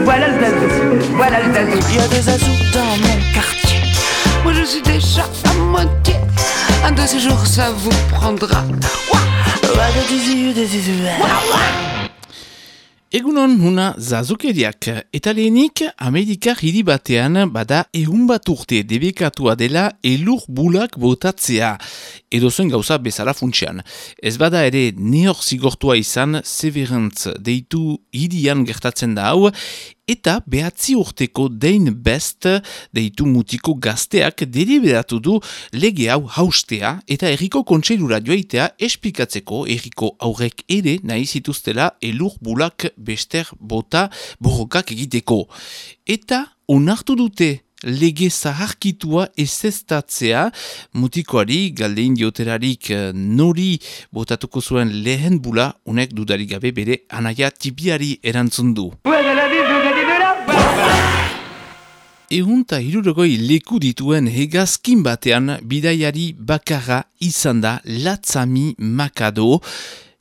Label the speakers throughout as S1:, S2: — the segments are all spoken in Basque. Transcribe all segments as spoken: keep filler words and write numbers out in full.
S1: Voilà le zazou, voilà le zazou.
S2: Il y a des zazous dans mon quartier. Moi je suis déjà à moitié. Un de ces jours ça vous prendra.
S3: Egunon huna zazukeriak, eta lehenik Amerikar hiri batean bada ehun bat urte debekatua dela elur bulak botatzea, edozen gauza bezala funtsean. Ez bada ere neor zigortua izan Severance deitu hirian gertatzen da hau, eta behatzi urteko Dein Best deitu mutiko gazteak deliberatu du lege hau haustea eta herriko kontseilura joaitea esplikatzeko herriko aurrek ere nahi zituztela elur bulak bester bota borrokak egiteko. Eta onartu dute lege zaharkitua ezeztatzea, mutikoari galdein dioterarik nori botatuko zuen lehen bula, unek dudarik gabe bere anaia tipiari erantzun du. Ehunta hirurogoi leku dituen hegazkin batean bidaiari bakarra izan da Latzami Makado,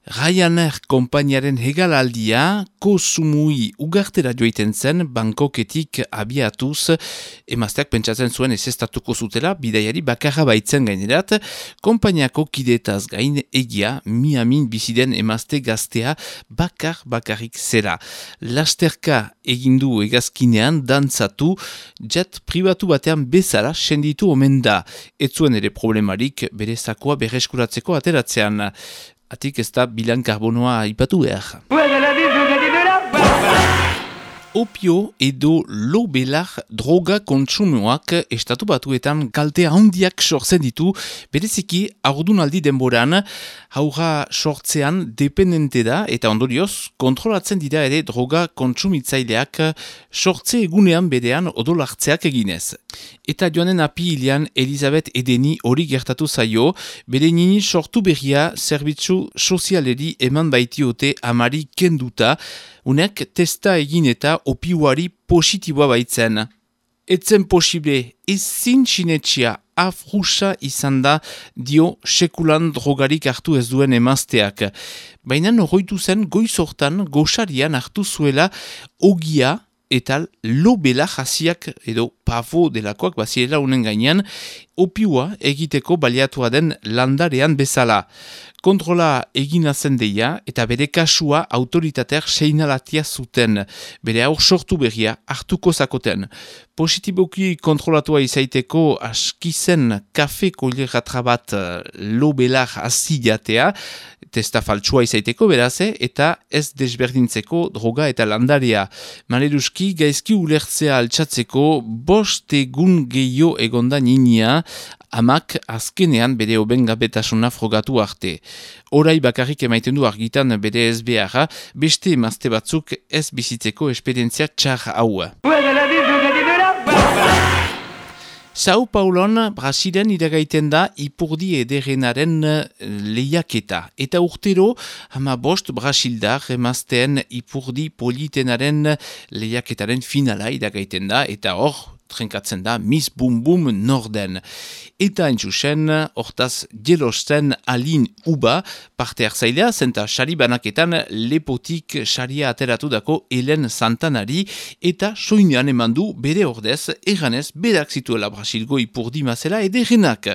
S3: Ryanair konpainiaren hegalaldia Kosumui ugartera joiten zen Bangkoketik abiatuz, emazteak pentsatzen zuen ezeztatuko zutela bidaiari bakarra baitzen gainerat, konpainiako kidetaz gain egia Miamin biziden emazte gaztea bakar bakarrik zera. Lasterka egindu hegazkinean dantzatu, jet pribatu batean bezala senditu omen da. Ez zuen ere problemarik bere zakoa berreskuratzeko ateratzean. Atik ez da bilan karbonoa ipatu behar. Opio edo lobelar droga kontsumoak estatu batuetan kalte handiak sortzen ditu, bereziki haurdunaldi denboran, haurra sortzean dependente da eta ondorioz kontrolatzen dira ere droga kontsumitzaileak sortze egunean berean odolartzeak eginez. Eta joanen apiilean Elizabeth Edeni hori gertatu zaio, bere nini sortu berria zerbitzu sozialeri eman baitiote amari kenduta, unek testa egin eta opiuari positiboa baitzen. Etzen posible ezin sinetxia afrusa izan da dio sekulan drogarik hartu ez duen emazteak. Baina norroitu zen goizortan goxarian hartu zuela ogia eta lobela jasiak edo pavo delakoak bazirela unen gainean, opiua egiteko baliatua den landarean bezala. Kontrola egina zen deia eta bere kasua autoritateak seinalatia zuten, bere aur sortu berria hartuko zakoten. Positiboki kontrolatua izaiteko askizen kafe koileratra bat lobelar azidatea, testa faltsua izaiteko beraze, eta ez desberdintzeko droga eta landarea. Maleruski gaizki ulertzea altxatzeko bost egun gehiago egonda ninia, amak azkenean bere obengabetasuna frogatu arte. Orai bakarrik emaiten du argitan bere ez beharra, beste emazte batzuk ez bizitzeko esperientzia txar hau. Sao Paulon, Brasilen iragaiten da ipurdi ederrenaren lehiaketa. Eta urtero, hama bost Brasildar emazteen ipurdi politenaren lehiaketaren finala iragaiten da, eta hor, trenkatzen da Miss Bum Bum Norden. Eta entzusen, hortaz jelosten Alin Uba, parte hartzailea, zenta sari banaketan lepotik saria ateratu dako Helen Santanari, eta soinean eman du bere ordez, erranez berak zituela Brasilgo ipurdi mazela ederrenak.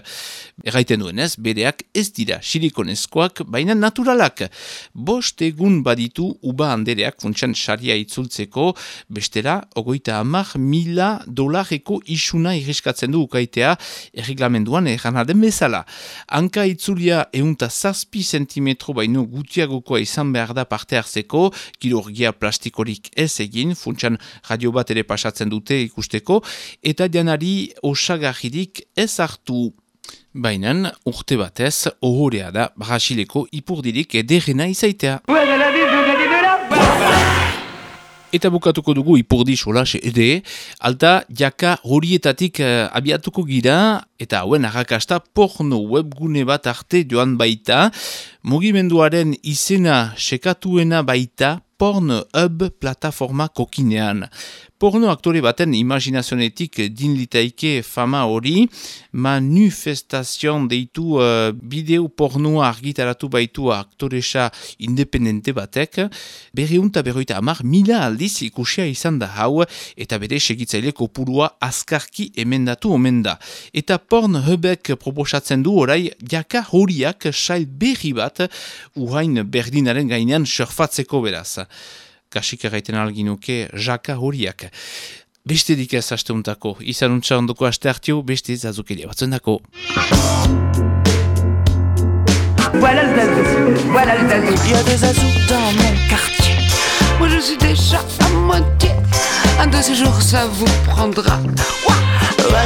S3: Erraiten duenez, bereak ez dira silikonezkoak, baina naturalak. Bost egun baditu Uba andereak funtsan saria itzultzeko, bestela, ogoita hamar mila dolareko isuna irriskatzen du ukaitea, erreglamenduan erranaden bezala. Hanka itzulia eunta zazpi sentimetro baino gutiagokoa izan behar da parte hartzeko, kirurgia plastikorik ez egin, funtsan radio bat ere pasatzen dute ikusteko, eta janari osagarririk ez hartu. Bainan, urte batez, ohorea da Brasileko ipurdirik ederrena izaitea. Eta bukatuko dugu ipurdi solas ere, alta jaka horietatik uh, abiatuko gira eta hauen arrakasta porno webgune bat arte joan baita, mugimenduaren izena sekatuena baita Pornhub plataforma kokinean. Porno aktore baten imaginazionetik din litaike fama hori, manifestazion deitu uh, bideo pornoa argitaratu baitu aktoresa independente batek, berreunta berroita amar mila aldiz ikusia izan da hau, eta bere segitzaile kopurua azkarki emendatu omen da. Eta Pornhubek proposatzen du orai jaka horiak sail berri bat uhain berdinaren gainean surfatzeko beraz. Kasik erraiten alginuke jaka horiak. Beste dik ez asteuntako, izan untsa ondoko aste hartio, beste zazukeria batzuen dako.
S1: Voilà le zazou, voilà le zazou.
S2: Il y a des zazous dans mon quartier. Moi je suis déjà à moitié. Un de ces jours ça vous prendra. Ouah, ouah,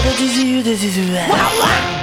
S2: ouah, ouah.